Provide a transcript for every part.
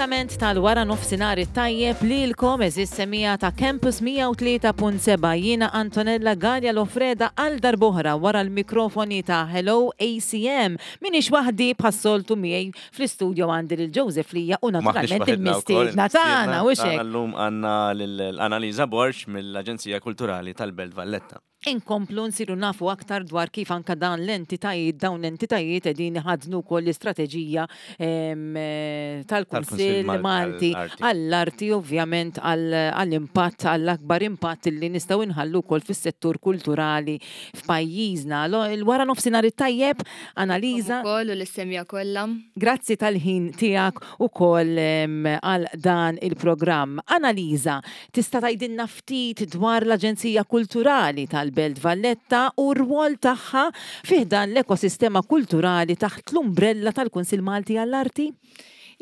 Il-kumplament tal-wara nofsinhar it-tajjeb lilkom eżis semija ta' Campus 103.7 jiena Antonella Gallia Lofreda għal darb'oħra wara l-mikrofoni ta' Hello ACM. Minix waħdi bħas-soltu miegħi fl-istudio għandi lil Joseph Lija u naturalment il-mistiedna tagħna u xek. Llum għandna lil Annalisa Borg mill-Aġenzija Kulturali tal-Belt Valletta. Inkomplu nsiru nafu aktar dwar kif anka dan l-entitajiet, dawn l-entitajiet qegħdin iħaddnu wkoll l-istrateġija tal-Kunsill Malti għall-arti ovvjament għall-impatt, għall-akbar impatt li nistgħu nħallu wkoll fis-settur kulturali f'pajjiżna. Il-wara nofsinhar it-tajjeb, Analiża. Ukoll u lis-semja kollha. Grazzi tal-ħin tiegħek ukoll għal dan il-programm. Analiża, tista' tgħidilna ftit dwar l-Aġenzija Kulturali tal-Belt Valletta u r-rwol tagħha fi ħdan l-ekosistema kulturali taħt l-umbrella tal-Kunsill Malti għall-Arti?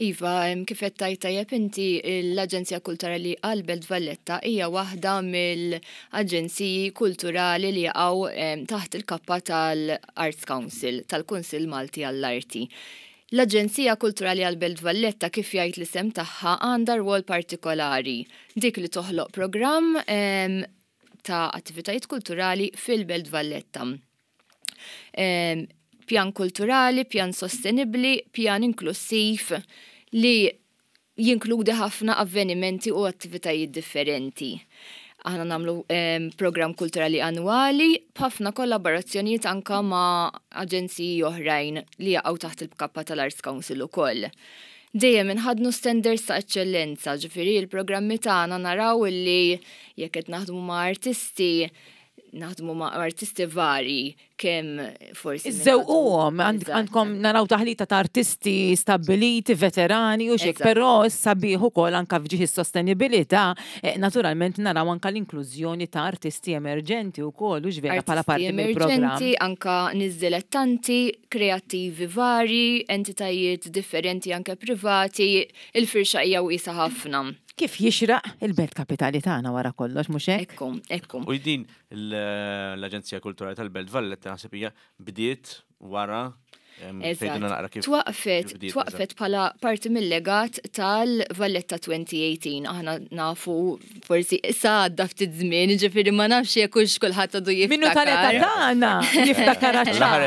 Iva, kif qed tgħid tajjeb inti, l-Aġenzija Kulturali għall-Belt Valletta hija waħda mill-aġenziji kulturali li jaqgħu taħt il-kappa tal-Arts Council, tal-Kunsill Malti għall-Arti. L-Aġenzija Kulturali għall-Belt Valletta, kif jgħid l-isem tagħha, għandha rwol partikolari, dik li toħloq programm ta' attivitajiet kulturali fil-Belt Valletta. Pjan kulturali, pjan sostenibbli, pjan inklussiv li jinkludi ħafna avvenimenti u attivitajiet differenti. Aħna nagħmlu programm kulturali annwali b'ħafna kollaborazzjonijiet anka ma' aġenziji oħrajn li jaqgħu taħt il-kappa tal-Arts Council ukoll. Dejjem inħaddnu standards ta' eċċellenza, ġifieri l-programmi tagħna naraw illi jekk qed naħdmu ma' artisti, naħdmu ma' artisti varji kemm forsi. Iżżewquhom, għandkom naraw taħlita ta' artisti stabbiliti, veterani u xek, però sabiħ ukoll anka f'ġieħ is-sostenibilità, eh, naturalment naraw anka l-inklużjoni ta' artisti emerġenti wkoll u x'vera bħala parti mill-programm. Emerġenti, anka nies dilettanti, kreattivi varji, entitajiet differenti anke privati, il-firxa hija wiesgħa ħafna. Kif jixraq il-belt kapitali tagħna wara kollox, mhux hekk? Ekku, ekku. U din l-Aġenzija Kulturali tal-Belt Valletta naħseb hija bdiet wara Eżatt. Twaqfet, twaqfet bħala parti mill-legat tal-Valletta 2018. Aħna nafu forsi issa għadda ftit żmien, ġifieri ma nafx jekk hux kulħadd għadu jiftakar. Minnu tal-età tagħna jiftakar ċar.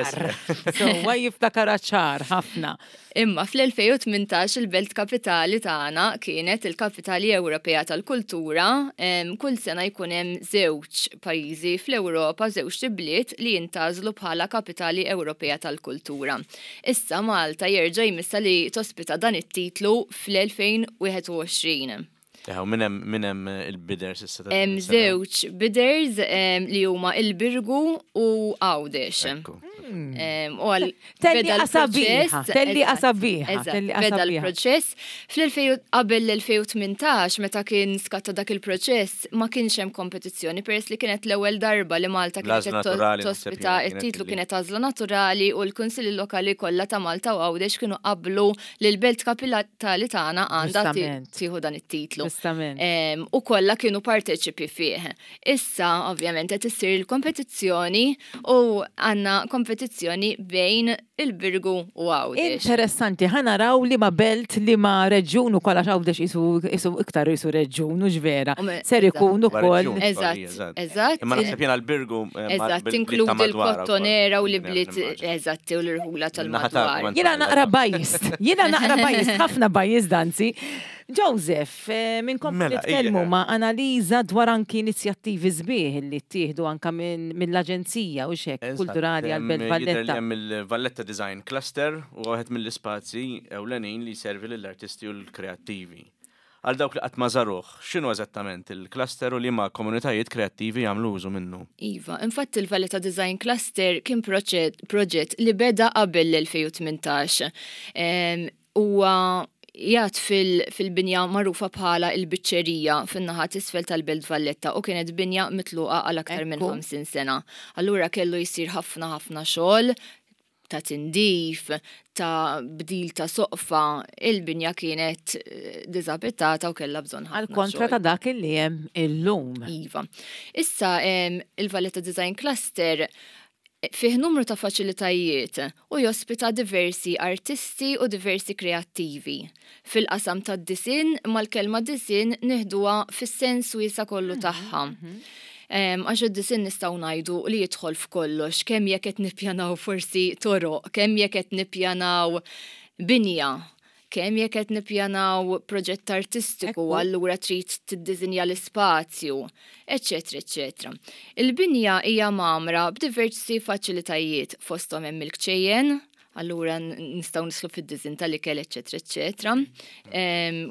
Sewwa jiftakar ċar ħafna. Imma fl-2018 il-belt kapitali tagħna kienet il-Kapitali Ewropea tal-Kultura. Kull sena jkun hemm żewġ pajjiżi fl-Ewropa, żewġt ibliet li jintgħażlu bħala Kapitali Ewropea tal-Kultura. Issa Malta jerġa' jmissha li tospita dan it-titlu fl-2021. U min hemm min hemm il-bidders issa ta' Hemm din is-sena? żewġ bidders li huma il-Birgu u Għawdex. Ekku. U għal Telli beda qasabiħa, l-proċess, telli eżatt, qasabiħa, eżatt, telli beda qasabiħa. l-proċess. Fl-2000 qabel l-2018 meta kien skatta dak il-proċess ma kienx hemm kompetizzjoni peress li kienet l-ewwel darba li Malta kienet L-għażla qed naturali naħseb tospita jiena kienet it-titlu illi- kienet għażla naturali u l-kunsilli lokali kollha ta' Malta u Għawdex kienu qablu li l-belt kapitali tagħna għandha tieħu dan it-titlu. U kollha kienu parteċipi fih. Issa, ovvjament, qed issir il-kompetizzjoni u għandna kompetizzjoni bejn il-Birgu u Għawdex. Interessanti, ħa naraw li ma belt li ma reġjun ukoll għax Għawdex isu iktar isu reġjun u vera. Ser ikun ukoll. Eżatt, eżatt. Imma naħseb jiena l-Birgu. Eh, eżatt, tinkludi l-Kottonera u l-ibliet, eżatt, u l-irħula tal-madwar. Jiena naqra bajist, jiena naqra bajist, ħafna bajist danzi. Joseph, eh, minn kom mela, nitkellmu ma' analiża dwar anki inizjattivi sbieħ li ttieħdu anka mill-Aġenzija u xek kulturali għal-Belt Valletta. Hemm il-Valletta Design Cluster u wieħed mill-ispazji ewlenin li jservi lill-artisti u l-kreattivi. Għal dawk li qatt ma żaruh, x'inhu eżattament il-cluster u liema komunitajiet kreattivi jagħmlu użu minnu? Iva, infatti il-Valletta Design Cluster kien proġett li beda qabel l-2018. Huwa qiegħed fil-binja magħrufa bħala l-Biċċerija fin-naħa t'isfel tal-Belt Valletta u kienet binja mitluqa għal aktar minn 50 sena. Allura kellu jsir ħafna ħafna xogħol ta' tindif, ta' bdil ta' soqfa, il-binja kienet eh, diżabittata u kellha bżonn ħafna. Għal kontra ta' dak li hemm illum. Iva. Issa il-Valletta Design Cluster Fih numru ta' faċilitajiet u jospita diversi artisti u diversi kreattivi. Fil-qasam tad-disinn, imma l-kelma disinn nieħduha fis-sens wiesa' kollu tagħha. Għax id-disinn nistgħu ngħidu li jidħol f'kollox, kemm jekk qed nippjanaw forsi toroq, kemm jekk qed nippjanaw binja, kemm jekk qed nippjanaw proġett artistiku, allura trid tiddisinja l-ispazju, eċċetera eċċetera. Il-binja hija mgħammra b'diversi faċilitajiet, fosthom hemm il-kċejjen, allura nistgħu nislu fid-diżin tal-ikel, eċċetera, eċċetera.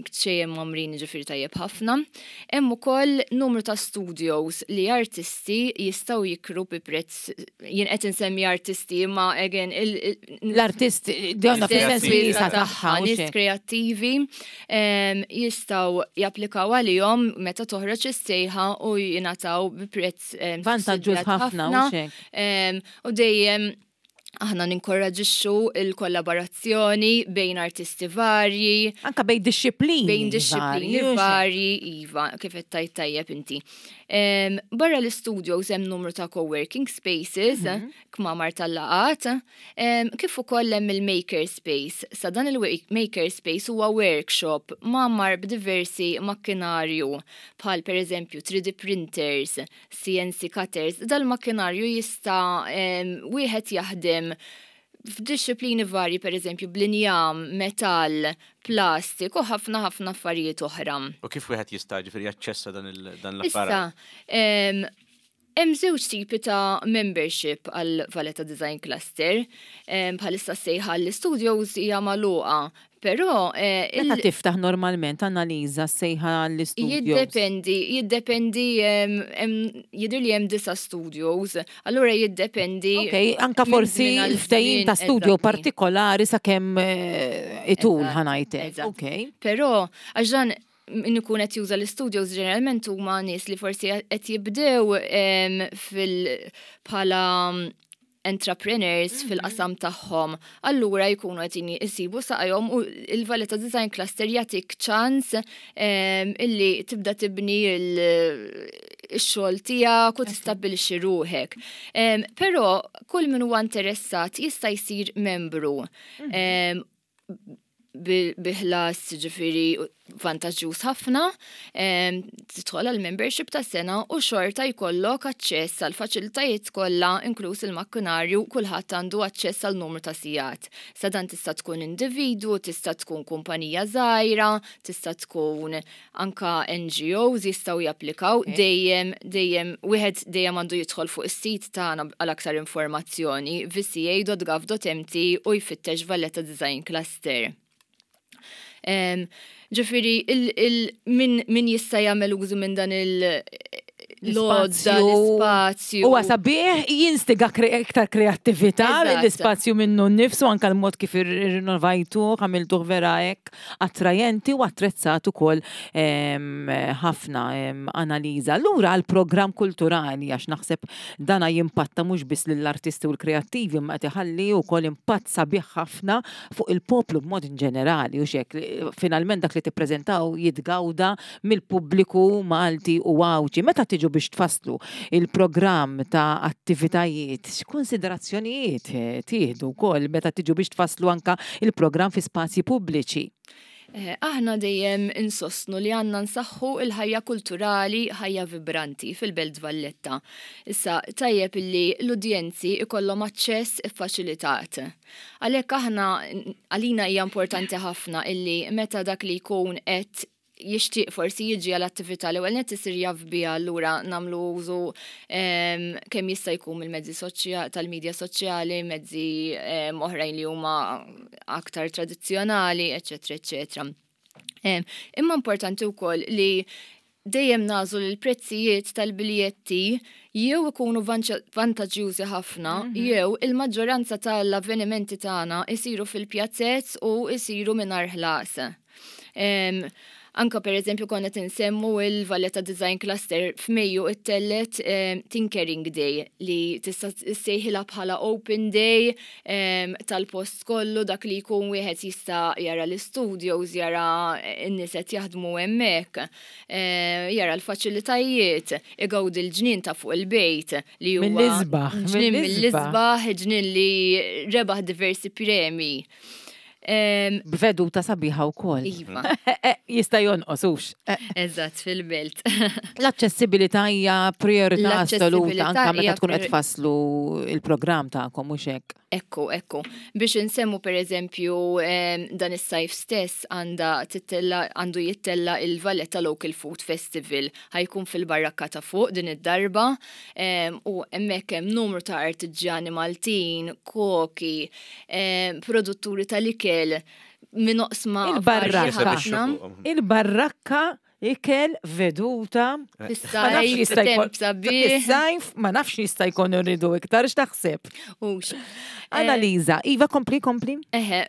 Kċejjen mgħammrin jiġifieri tajjeb ħafna. Hemm ukoll numru ta' studios li artisti jistgħu jikru bi prezz, jien qed insemmi artisti imma again l-artist donna fis-sens wiesa' tagħha, nies kreattivi jistgħu japplikaw għalihom meta toħroġ is-sejħa u jingħataw bi prezz vantaġġuż ħafna u dejjem aħna ninkoraġixxu il-kollaborazzjoni bejn artisti varji. Anka bejn dixxiplini. Bejn dixxiplini varji, iva, kif qed tgħid tajjeb inti. Barra l-istudios hemm numru ta' co-working spaces, kmamar tal-laqgħat, kif ukoll hemm il-maker space. Sa dan il-maker space huwa workshop mgħammar b'diversi makkinarju bħal pereżempju 3D printers, CNC cutters. Dal-makkinarju jista' wieħed jaħdem f'dixxiplini varji, pereżempju bl-injam, metall, plastik u ħafna ħafna affarijiet oħra. U kif wieħed jista' ġifieri jaċċessa dan l-apparat? Issa, hemm żewġ tipi ta' membership għal Valletta Design Cluster. Bħalissa sejħa l-studios hija magħluqa, però Meta tiftaħ normalment Annalisa sejħa l-studios? Jiddependi, jiddependi, jidher li hemm 9 studios, allura jiddependi. Ok, anka forsi l-ftehim ta' studio partikolari sakemm itul ħa ngħidlek. Ok. Però għax dan min ikun qed juża l-studios ġeneralment huma nies li forsi qed jibdew fil bħala entrepreneurs fil-qasam tagħhom, allura jkunu qed isibu saqajhom u il-Valletta Design Cluster jagħtik ċans illi tibda tibni il-xogħol tiegħek u tistabbilixxi ruħek. Però kull min huwa interessat jista' jsir membru bi ħlas ġifieri vantaġġjuż ħafna, tidħol għal membership ta' sena u xorta jkollok aċċess għal faċilitajiet kollha inkluż il-makkinarju, kulħadd għandu aċċess għal numru ta' sigħat. Sa dan tista' tkun individwu, tista' tkun kumpanija żgħira, tista' tkun anka NGOs jistgħu japplikaw, dejjem dejjem wieħed dejjem għandu jidħol fuq is-sit tagħna għal aktar informazzjoni vca.gov.mt u jfittex Valletta Design Cluster. Ġifieri min jista' jagħmel użu minn dan il-lodda, l-ispazju. Huwa sabiħ jinstiga iktar kreattività l-ispazju minnu nnifsu, anka l-mod kif irrinnovajtuh, għamiltuh vera hekk attrajenti u attrezzat ukoll ħafna, Annalisa. Lura għall-programm kulturali, għax naħseb dana jimpatta mhux biss lill-artisti u l-kreattivi imma qed iħalli wkoll impatt sabiħ ħafna fuq il-poplu b'mod ġenerali u xek finalment dak li tippreżentaw jitgawda mill-pubbliku Malti u Għawdxi. Meta tiġu biex tfasslu il-programm ta' attivitajiet, x'konsiderazzjonijiet tieħdu wkoll meta tiġu biex tfasslu anka il-programm fi spazji pubbliċi? Aħna dejjem insostnu li għandna nsaħħu il-ħajja kulturali, ħajja vibranti fil-Belt Valletta. Issa, tajjeb illi l-udjenzi ikollhom aċċess iffaċilitat. Għalhekk aħna għalina hija importanti ħafna illi meta dak li jkun qed jixtieq forsi jiġi għal attività l-ewwel nett isir jaf biha, allura nagħmlu użu kemm jista' jkun mill-mezzi tal-medja soċjali, mezzi oħrajn li huma aktar tradizzjonali, eċċetera, eċċetera. Imma importanti wkoll li dejjem nażlu li l-prezzijiet tal-biljetti jew ikunu vantaġġjużi ħafna, jew il-maġġoranza tal-avvenimenti tagħna isiru fil-pjazzez u isiru mingħajr ħlas. Anka per eżempju konna tinsemmu il-Valletta Design Cluster f'Mejju ittellet Tinkering Day li tista' ssejħilha bħala Open Day tal-post kollu dak li jkun wieħed jista' jara l-istudios, jara n-nies qed jaħdmu hemmhekk, jara l-faċilitajiet, igawdi l-ġnien ta' fuq il-bejt li huwa mill-isbaħ, ġnien mill-isbaħ, ġnien li rebaħ diversi premi. B'veduta sabiħa wkoll. Iva. Jista' jonqos hux. Eżatt, fil-belt. L-aċċessibilità hija priorità assoluta anke meta tkun qed tfasslu il-programm tagħkom mhux hekk. Ekku, ekku. Biex insemmu pereżempju dan is-sajf stess għandha tittella għandu jittella il-Valletta Local Food Festival ħa jkun fil-Barrakka ta' fuq din id-darba u hemmhekk hemm numru ta' artiġjani Maltin, koki, produtturi tal-ikel minn oqsma Il-barrakka. Il-barrakka ikel veduta. Fis-sajf, temp sabiħ. Fis-sajf, ma nafx jista' jkun irridu iktar x'taħseb. Hux. Analiza, Iva kompli kompli. Eħe,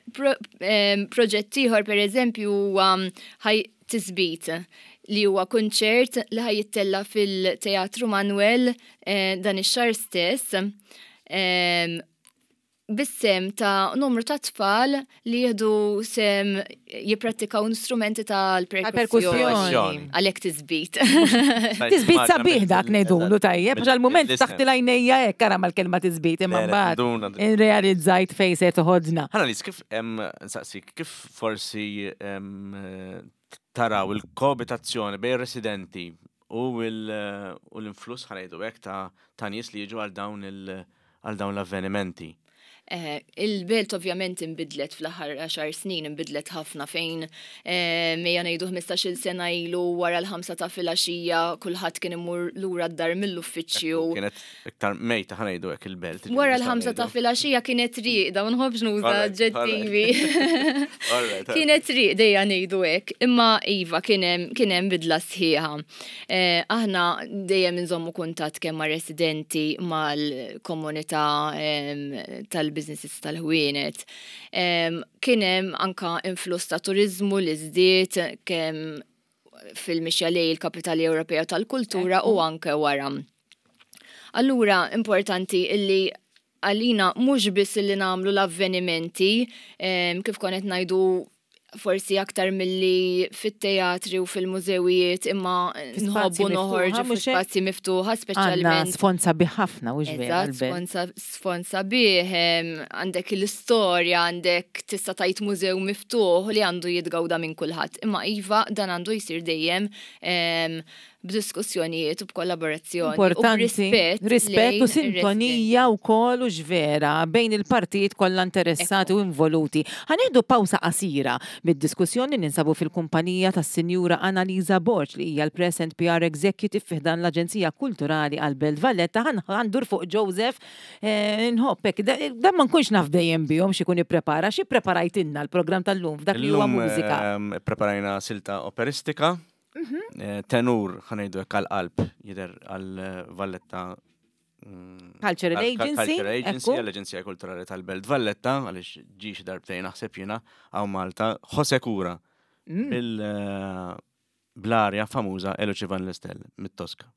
proġett ieħor pereżempju huwa ħaj tisbit li huwa kunċert li ħaj jittella fil-Teatru Manuel dan ix-xahar stess. Bis-sehem ta' numru ta' tfal li jieħdu sehem jipprattikaw instrumenti tal-perkussjoni. Għalhekk tisbit. Tisbit sabiħ dak ngħidulu tajjeb, għax għall-mument taħt il-għajnejja hekk ara mal-kelma tisbit imma mbagħad irrealizzajt fejn se toħodna. Annalise, kif nsaqsik, kif forsi taraw il-koabitazzjoni bejn residenti u l-influss ħa ngħidu hekk ta' nies li jiġu għal dawn il- għal dawn l-avvenimenti. Il-belt ovvjament inbidlet fl-aħħar għaxar snin, inbidlet ħafna fejn mejja ngħidu 15-il sena ilu wara l-ħamsa ta' filgħaxija kulħadd kien imur lura d-dar mill-uffiċċju. Kienet iktar mejta ħa ngħidu hekk il-belt. Wara l-ħamsa ta' filgħaxija kienet rieqda, ma nħobbx nuża aġġettivi. Kienet rieqda ejja ngħidu hekk, imma iva kien hemm bidla sħiħa. Aħna dejjem inżommu kuntatt kemm ma' residenti mal-komunità tal-businesses tal-ħwienet. Kien hemm anka influss ta' turiżmu li żdied kemm fil-mixja lejn il-Kapitali Ewropea tal-Kultura u anke wara. Allura importanti illi għalina mhux biss illi nagħmlu l-avvenimenti, kif kont qed ngħidu forsi aktar milli fit-teatri u fil-mużewijiet imma nħobbu noħorġu fi spazji miftuħa speċjalment. Sfond sabiħ ħafna u Eżatt, sfond sabiħ, għandek l-istorja, għandek tista' tgħid mużew miftuħ li għandu jitgawda minn kulħadd. Imma iva dan għandu jsir dejjem b'diskussjonijiet u b'kollaborazzjoni. Importanti. Rispett u sintonija wkoll u x'vera bejn il-partijiet kollha interessati u involuti. Ħa nieħdu pawsa qasira mid-diskussjoni ninsabu fil-kumpanija tas-Sinjura Annalisa Borg li hija l-Press and PR Executive fi ħdan l-Aġenzija Kulturali għall-Belt Valletta. Ħa ndur fuq Joseph nħobb hekk. Dan ma nkunx naf dejjem bihom x'ikun ipprepara. X'ippreparajtilna l-programm tal-lum f'dak li huwa mużika? Illum ippreparajna silta operistika. Mhm. Tenur, ħanejdu hekk għal-qalb, jidher għal-Valletta mm, Cultural Agency. Cultural Agency, għall-Aġenzija Kulturali tal-Belt Valletta, għaliex ġi xi darbtejn naħseb jiena hawn Malta, Jose Cura bil eh, bl-arja famuża Eluċi Van Listel mit-Toska.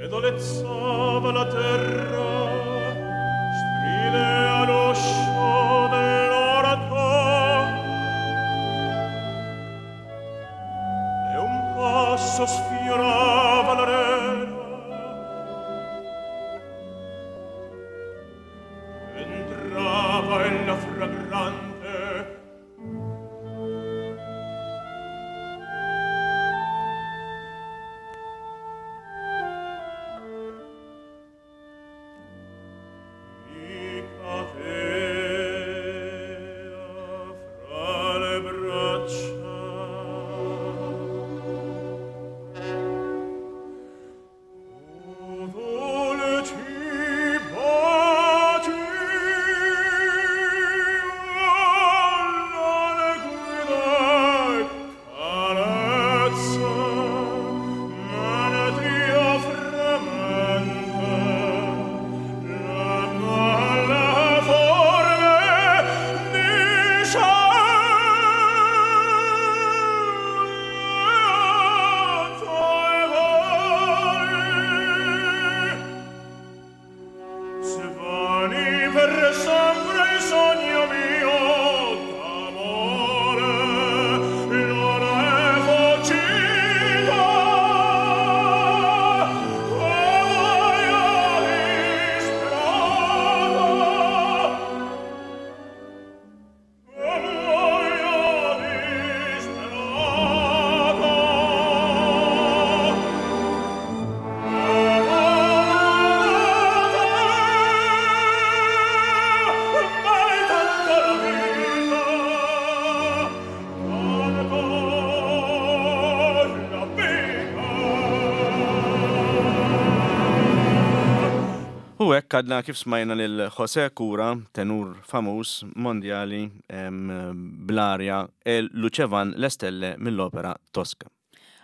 Ed olezzava la terra, stridea l'uscio dell'orto. E un passo sfiorava l'arena. Entrava ella fragrante. Rimani per sempre il sogno mio d'amore, non è fuggita, e muoia disperata, e muoia disperata. U hekk għadna kif smajna lil Jose Cura, tenur famuż mondjali bl-arja El Lucevan l-Estelle mill-opera Tosca.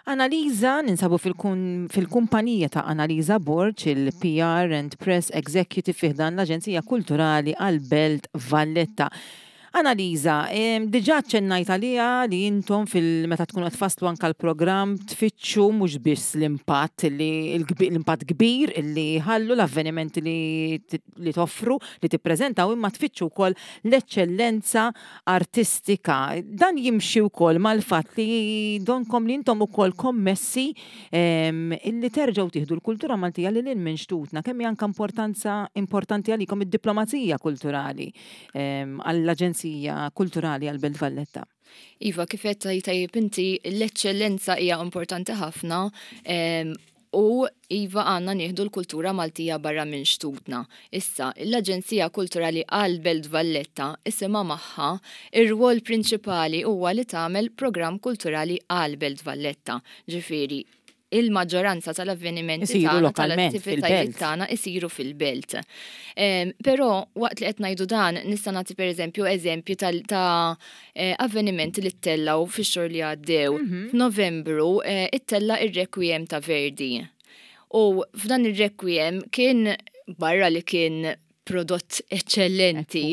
Analiza, ninsabu fil-kumpanija ta' Analiza Borg, il-PR and Press Executive fi ħdan l-Aġenzija Kulturali għall-Belt Valletta. Analiza, diġà aċċennajt għaliha li intom fil meta tkunu qed tfasslu anke l-programm tfittxu mhux biss l-impatt li l-impatt kbir li jħallu l-avvenimenti li li toffru, li tippreżentaw imma tfittxu wkoll l-eċċellenza artistika. Dan jimxi wkoll mal-fatt li donkom li intom ukoll kommessi illi terġgħu tieħdu l-kultura Maltija lil hinn minn xtutna. Kemm hi anke importanza importanti għalikom id-diplomazija kulturali għall-Aġenzija Kulturali għall-Belt Valletta? Iva, kif qed tgħid tajjeb inti, l-eċċellenza hija importanti ħafna u iva għandna nieħdu l-kultura Maltija barra minn xtutna. Issa, l-Aġenzija Kulturali għall-Belt Valletta isimha magħha, ir-rwol prinċipali huwa li tagħmel programm kulturali għall-Belt Valletta. Ġifieri, il-maġġoranza tal-avvenimenti tagħna tal-attivitajiet tagħna isiru fil-belt. Però waqt li qed ngħidu dan nista' nagħti pereżempju eżempju ta' eh, avvenimenti li ttellgħu fix-xhur li għaddew. Mhm. F'Novembru eh, ittella' ir-Requiem ta' Verdi. U f'dan ir-Requiem kien barra li kien prodott eċċellenti,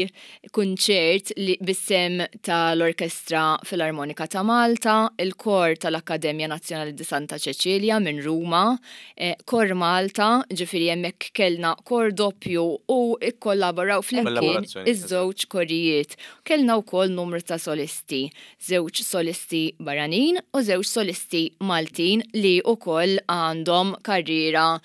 kunċert li bis-sehem tal-Orkestra Filarmonika ta' Malta, il-Kor tal-Akkademja Nazzjonali di Santa Ċeċilja minn Ruma, eh, Kor Malta, ġifieri hemmhekk kellna kor doppju u kkollaboraw flimkien iż-żewġ korijiet. Kellna wkoll numru ta' solisti, żewġ solisti barranin u żewġ solisti Maltin li wkoll għandhom karriera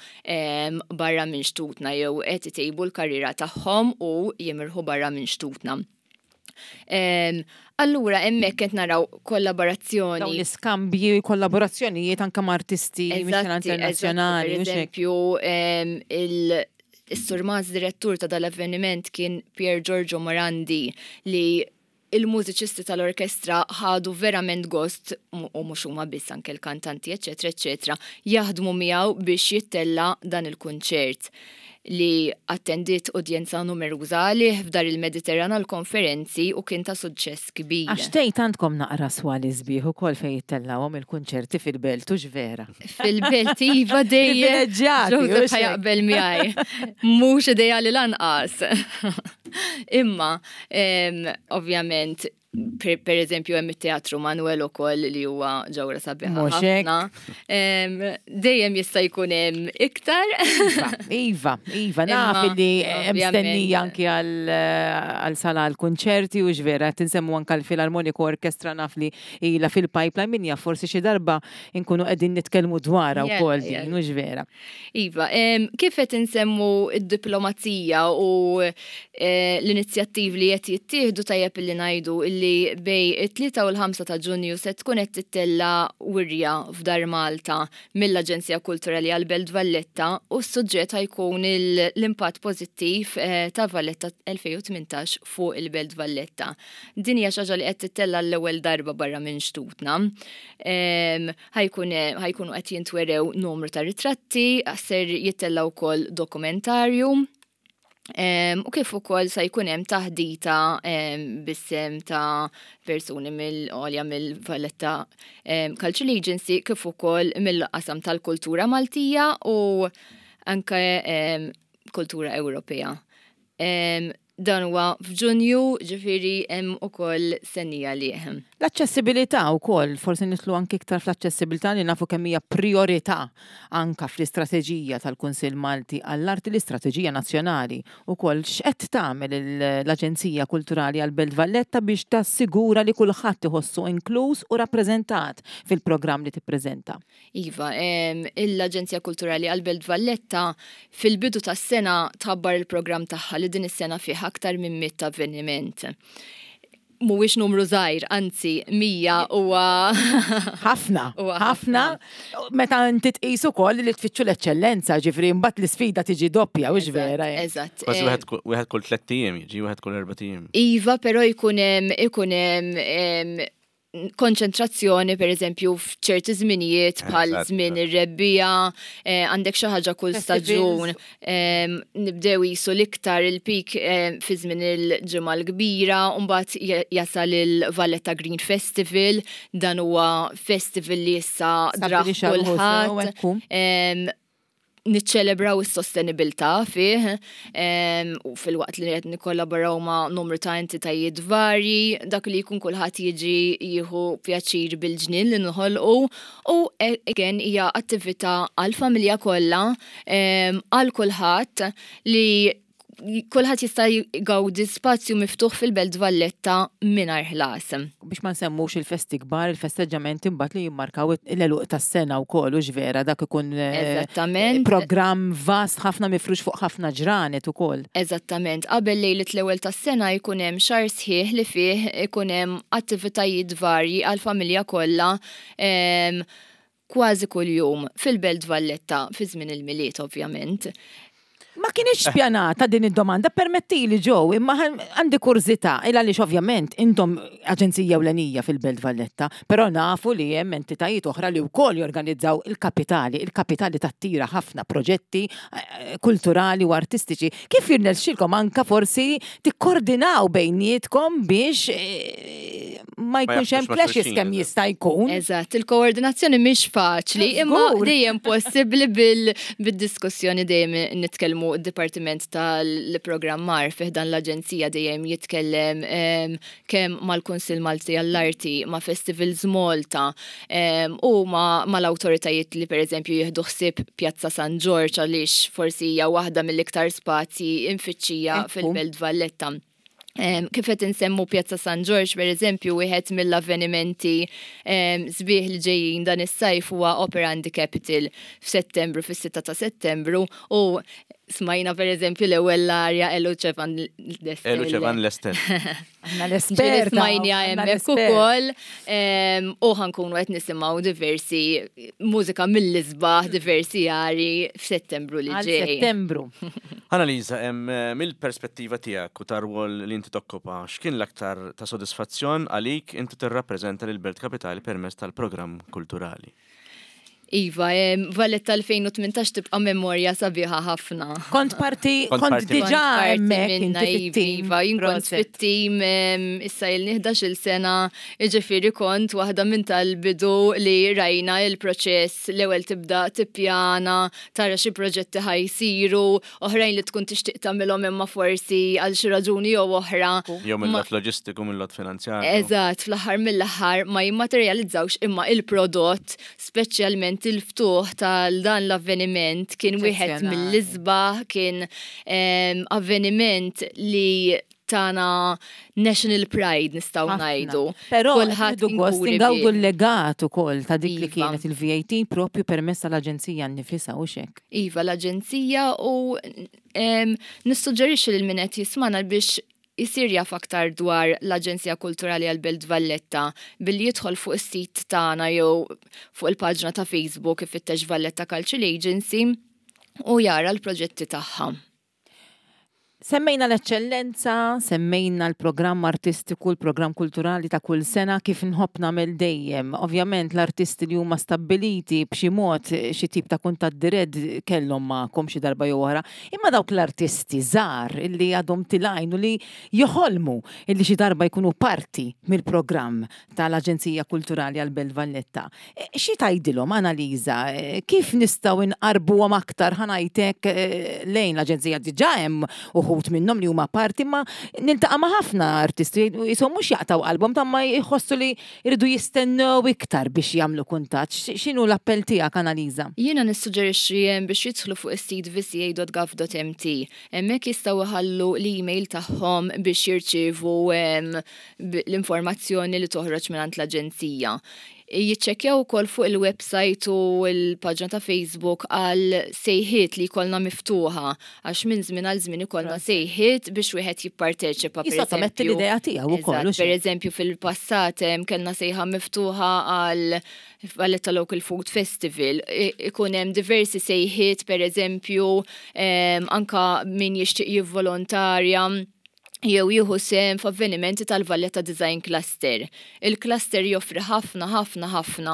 barra minn xtutna jew qed itejbu l-karriera tagħhom u jimirħu barra minn xtutna. Allura hemmhekk qed naraw kollaborazzjoni. Dawn l-iskambji, kollaborazzjonijiet anke ma' artisti internazzjonali. Per eżempju, il-surmaz direttur ta' dal-avveniment kien Pier Giorgio Morandi li il-mużiċisti tal-orkestra ħadu verament gost, u mhux huma biss anke l-kantanti eċċetera eċċetera, jaħdmu miegħu biex jittella' dan il-kunċert li attendiet udjenza numeruża għalih f'Dar il-Mediterran għall-konferenzi u kien ta' suċċess kbir. Għax tgħid għandkom naqra swali sbieħ ukoll fejn jittellgħuhom il-kunċerti fil-belt, hux vera? Fil-belt iva dejjem. Privileġġjati, hux Joseph ħa jaqbel miegħi. Mhux ideali lanqas. Imma Ovvjament, per eżempju, hemm it-Teatru Manuel ukoll li huwa ġawra sabiħa ħafna. Dejjem jista' jkun hemm iktar. Iva, iva, iva, naf li hemm stennija anki għal sala għal kunċerti u x'vera qed insemmu anke l-Filarmoniku Orkestra naf li ilha fil-pipeline min jaf forsi xi darba nkunu qegħdin nitkellmu dwarha wkoll din, hux vera. Iva, kif qed insemmu d-diplomazija u eh, l-inizjattivi li qed jittieħdu tajjeb illi ngħidu illi bej it-3 u l-5 ta' Ġunju se tkun qed tittella wirja f'Dar Malta mill-Aġenzija Kulturali għal Belt Valletta u s-suġġett ħajkun l-impatt pożittiv eh, ta' Valletta 2018 fuq il-Belt Valletta. Din hija xi ħaġa li qed tittella l-ewwel darba barra minn xtutna. Ħajkunu qed jintwerew numru ta' ritratti, ser jittella' wkoll dokumentarju. U kif ukoll se jkun hemm taħdita bis-sem ta' persuni mill-għolja mill-Valletta Cultural Agency kif ukoll mill-qasam tal-kultura Maltija u anke kultura Ewropea. Dan huwa f'Ġunju, ġifieri hemm ukoll stennija għalih. L-aċċessibilità wkoll, forsi nidħlu anki iktar fl-aċċessibilità li nafu kemm hija prijorità anke fl-istrateġija tal-Kunsill Malti għall-Arti, l-istrateġija nazzjonali wkoll. X'qed tagħmel l-Aġenzija Kulturali għall-Belt Valletta biex tassigura li kulħadd iħossu inkluż u rappreżentat fil-programm li tippreżenta? Iva, l-Aġenzija Kulturali għall-Belt Valletta fil-bidu tas-sena tħabbar il-programm tagħha li din is-sena fih aktar minn 100 avveniment. Mhuwiex numru żgħir, anzi 100 huwa ħafna, ħafna. Meta inti tqis ukoll li tfittxu l-eċċellenza, ġifieri mbagħad l-isfida tiġi doppja, hux vera? Eżatt. Kważi wieħed kull tlett ijiem jiġi, wieħed kull erbat ijiem. Iva, però jkun hemm ikun hemm konċentrazzjoni per eżempju f'ċerti żminijiet bħal żmien ir-rebbiegħa, eh, għandek xi ħaġa kull staġun, nibdew jisu l-iktar il-pik fi żmien il-ġimgħa l-kbira, u mbagħad jasal il-Valletta Green Festival, dan huwa festival li issa draħ kulħadd. Niċċelebraw is-sostenibilità fih u filwaqt li qed nikkollaboraw ma' numru ta' entitajiet varji, dak li jkun kulħadd jiġi jieħu pjaċir bil-ġnien li noħolqu u again hija attività għall-familja kollha, għal kulħadd li kulħadd jista' jgawdi spazju miftuħ fil-Belt Valletta mingħajr ħlas. Biex ma nsemmux il-festi kbar, il-festeġġamenti mbagħad li jimmarkaw l-għeluq tas-sena wkoll, hux vera, dak ikun Eżattament. programm vast ħafna mifrux fuq ħafna ġranet ukoll. Eżattament. Qabel lejliet l-ewwel tas-sena jkun hemm xahar sħiħ li fih ikun hemm attivitajiet varji għall-familja kollha kważi kuljum fil-Belt Valletta fi żmien il-Milied ovvjament. Ma kinitx pjanata din id-domanda, permettili Joe, imma għandi kurżità, il għaliex ovvjament intom aġenzija ewlenija fil-Belt Valletta, però nafu li hemm entitajiet oħra li wkoll jorganizzaw il-kapitali, il-kapitali tattira ħafna proġetti kulturali u artistiċi. Kif jirnexxilkom anka forsi tikkordinaw bejnietkom biex ma jkunx hemm clashes kemm jista' jkun. Eżatt, il-koordinazzjoni mhix faċli, imma dejjem possibbli bil-diskussjoni dejjem nitkellmu d-Dipartiment tal-Programmar fih dan l-Aġenzija dejjem jitkellem kemm mal-Kunsill Malti għall-Arti, ma' Festivals Malta u mal-awtoritajiet li pereżempju jieħdu ħsieb Pjazza San Ġorġ għaliex forsi hija waħda mill-iktar spazji imfittxija fil-Belt Valletta. Kif qed insemmu Pjazza San Ġorġ, per eżempju, wieħed mill-avvenimenti sbieħ li ġejjin dan is-sajf huwa Opera in the Capital f'Settembru, fis-6 ta' Settembru, u smajna per eżempju l-ewwel l-arja E luce van le stelle. E luce van le stelle. Aħna l-esperta. Smajnija hemmhekk ukoll u ħankunu qed nisimgħu diversi mużika mill-isbaħ, diversi ari f'Settembru li ġej. Settembru. Annalisa, mill-perspettiva tiegħek u tar-rwol li inti tokkupa, x'kien l-aktar ta' sodisfazzjon għalik inti tirrappreżenta lill-Belt Kapitali permezz tal-programm kulturali? Iva, Valletta 2018 tibqa' memorja sabiħa ħafna. Kont parti, kont diġà hemmhekk inti fit-tim. Iva, jien kont fit-tim issa ilni 11-il sena, jiġifieri kont waħda minn tal-bidu li rajna il-proċess l-ewwel tibda tippjana, tara xi proġetti ħa jsiru, oħrajn li tkun tixtieq tagħmilhom imma forsi għal xi raġuni jew oħra. Jew mill-lat loġistiku, mill-lat finanzjarju. Eżatt, fl-aħħar mill-aħħar ma jimmaterjalizzawx imma il-prodott, speċjalment il-ftuħ tal dan l-avveniment kien wieħed mill-isbaħ, kien ehm, avveniment li tana national pride nistgħu ngħidu. Però kulħadd gost ingawdu l-legat ukoll ta' dik li iva. kienet il-VAT propju permezz tal-aġenzija nnifisha u xek. Iva l-aġenzija u nissuġġerixxi lil min qed jismana biex isir jaf aktar dwar l-Aġenzija Kulturali għall-Belt Valletta billi jidħol fuq is-sit tagħna jew fuq il-paġna ta' Facebook ifittex Valletta Cultural Agency u jara l-proġetti tagħha. Semmejna l-eċċellenza, semmejna l-programm artistiku, l-programm kulturali ta' kull sena kif nħobb nagħmel dejjem. Ovvjament l-artisti li huma stabbiliti b'xi mod xi tip ta' kuntatt dirett kellhom magħkom xi darba jew oħra, imma dawk l-artisti żgħar illi għadhom tilgħin u li joħolmu illi xi darba jkunu parti mill-programm tal-Aġenzija Kulturali għall-Belt Valletta. Xi tgħidilhom, Analiża, kif nistgħu nqarrbuhom aktar, ħa ngħid hekk, lejn l-Aġenzija? Diġà hemm uħud. uħud minnhom li huma parti ma niltaqa' ma' ħafna artisti jisom mhux jaqtgħu qalbhom ta' ma jħossu li jridu jistennew iktar biex jagħmlu kuntatt. X'inhu l-appell tiegħek Analiża? Jiena nissuġġerixxi biex jidħlu fuq is-sit vca.gov.mt. Hemmhekk jistgħu jħallu l-email tagħhom biex jirċievu l-informazzjoni li toħroġ mingħand l-aġenzija. Jiċċekkjaw ukoll fuq il-website u l-paġna ta' Facebook għal sejħiet li jkollna miftuħa għax minn żmien għal żmien ikollna sejħiet biex wieħed jipparteċipa. Jissottometti l-idea tiegħu ukoll. Per eżempju fil-passat kellna sejħa miftuħa għal Valletta Local Food Festival. Ikun hemm diversi sejħiet per eżempju anka min jixtieq jivvolontarja jew jieħu sehem f'avvenimenti tal-Valletta Design Cluster. Il-cluster joffri ħafna ħafna ħafna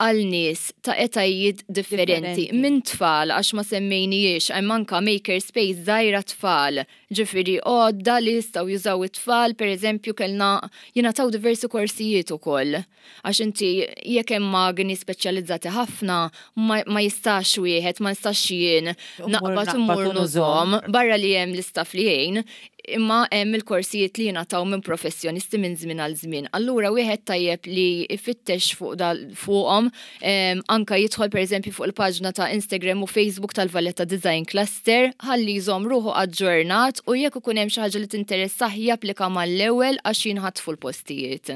għal nies ta' etajiet differenti, minn tfal għax ma semmejnijiex hemm anka maker space żgħira tfal, ġifieri għodda li jistgħu jużaw it-tfal, pereżempju kellna jingħataw diversi korsijiet ukoll. Għax inti jekk hemm magni speċjalizzati ħafna ma, ma jistax wieħed, ma nistax jien naqbad immur nużhom barra li hemm l-istaff li jgħin, imma hemm il-korsijiet li jingħataw minn professjonisti minn żmien għal żmien. Allura wieħed tajjeb li jfittex fuq fuqhom, anka jidħol pereżempju fuq il-paġna ta' Instagram u Facebook tal-Valletta Design Cluster ħalli jżomm ruħu aġġornat u jekk ikun hemm xi ħaġa li tinteressah japplika mal-ewwel għax jinħatfu l-postijiet.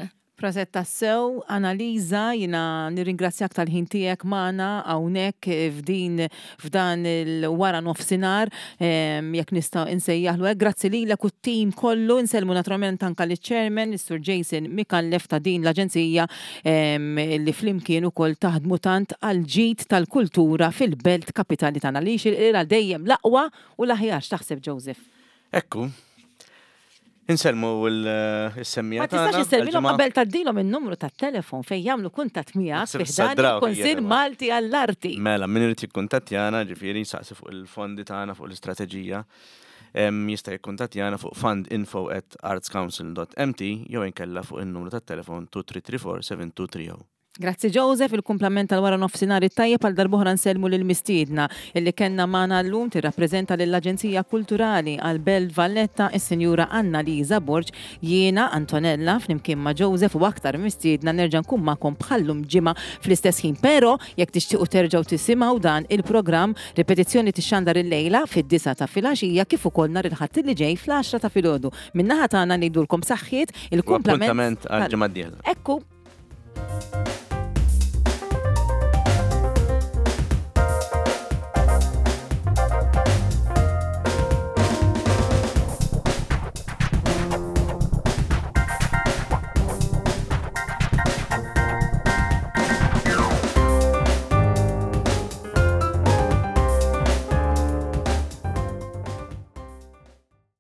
Proset tassew, Analiża, jiena nirringrazzjak tal-ħin tiegħek magħna hawnhekk f'din f'dan il-wara nofsinhar, jekk nista' insejjaħlu hekk. Grazzi lilek u t-tim kollu, insellmu naturalment anke liċ-chairman, is-Sur Jason Micallef ta' din l-aġenzija li flimkien ukoll taħdmu tant għall-ġid tal-kultura fil-belt kapitali tagħna li jixirqilha dejjem l-aqwa u l-aħjar. X'taħseb Joseph? Ekku. Insellmu l-semmija. Ma tistax issellmilhom qabel tgħaddilhom in-numru tat-telefon fejn jagħmlu kuntatt miegħek fi ħdan il-Kunsill Malti għall-Arti. Mela, min irid jikkuntattjana, ġifieri jsaqsi fuq il-fondi tagħna fuq l-istrateġija, jista' jikkuntattjana fuq fundinfo@artscouncil.mt jew inkella fuq in-numru tat-telefon 2334 7230. Grazzi Joseph, il-kumplament tal-wara nofsinhar it-tajjeb għal darb'oħra nsellmu lill-mistiedna illi kellna magħna llum tirrappreżenta lill-Aġenzija Kulturali għal Belt Valletta is-Sinjura Anna Liza Borg, jiena Antonella flimkien ma' Joseph u aktar mistiedna nerġa' nkun magħkom bħal-lum ġimgħa fl-istess ħin. Però jekk tixtiequ terġgħu tisimgħu dan il-programm, ripetizzjoni tixxandar illejla fid-disgħa ta' filgħaxija kif ukoll nhar il-Ħadd li ġej fl-għaxra ta' filgħodu. Min-naħa tagħna ngħidulkom saħħiet, il-kumplament għal ġimgħa d-dieħla. Ekku.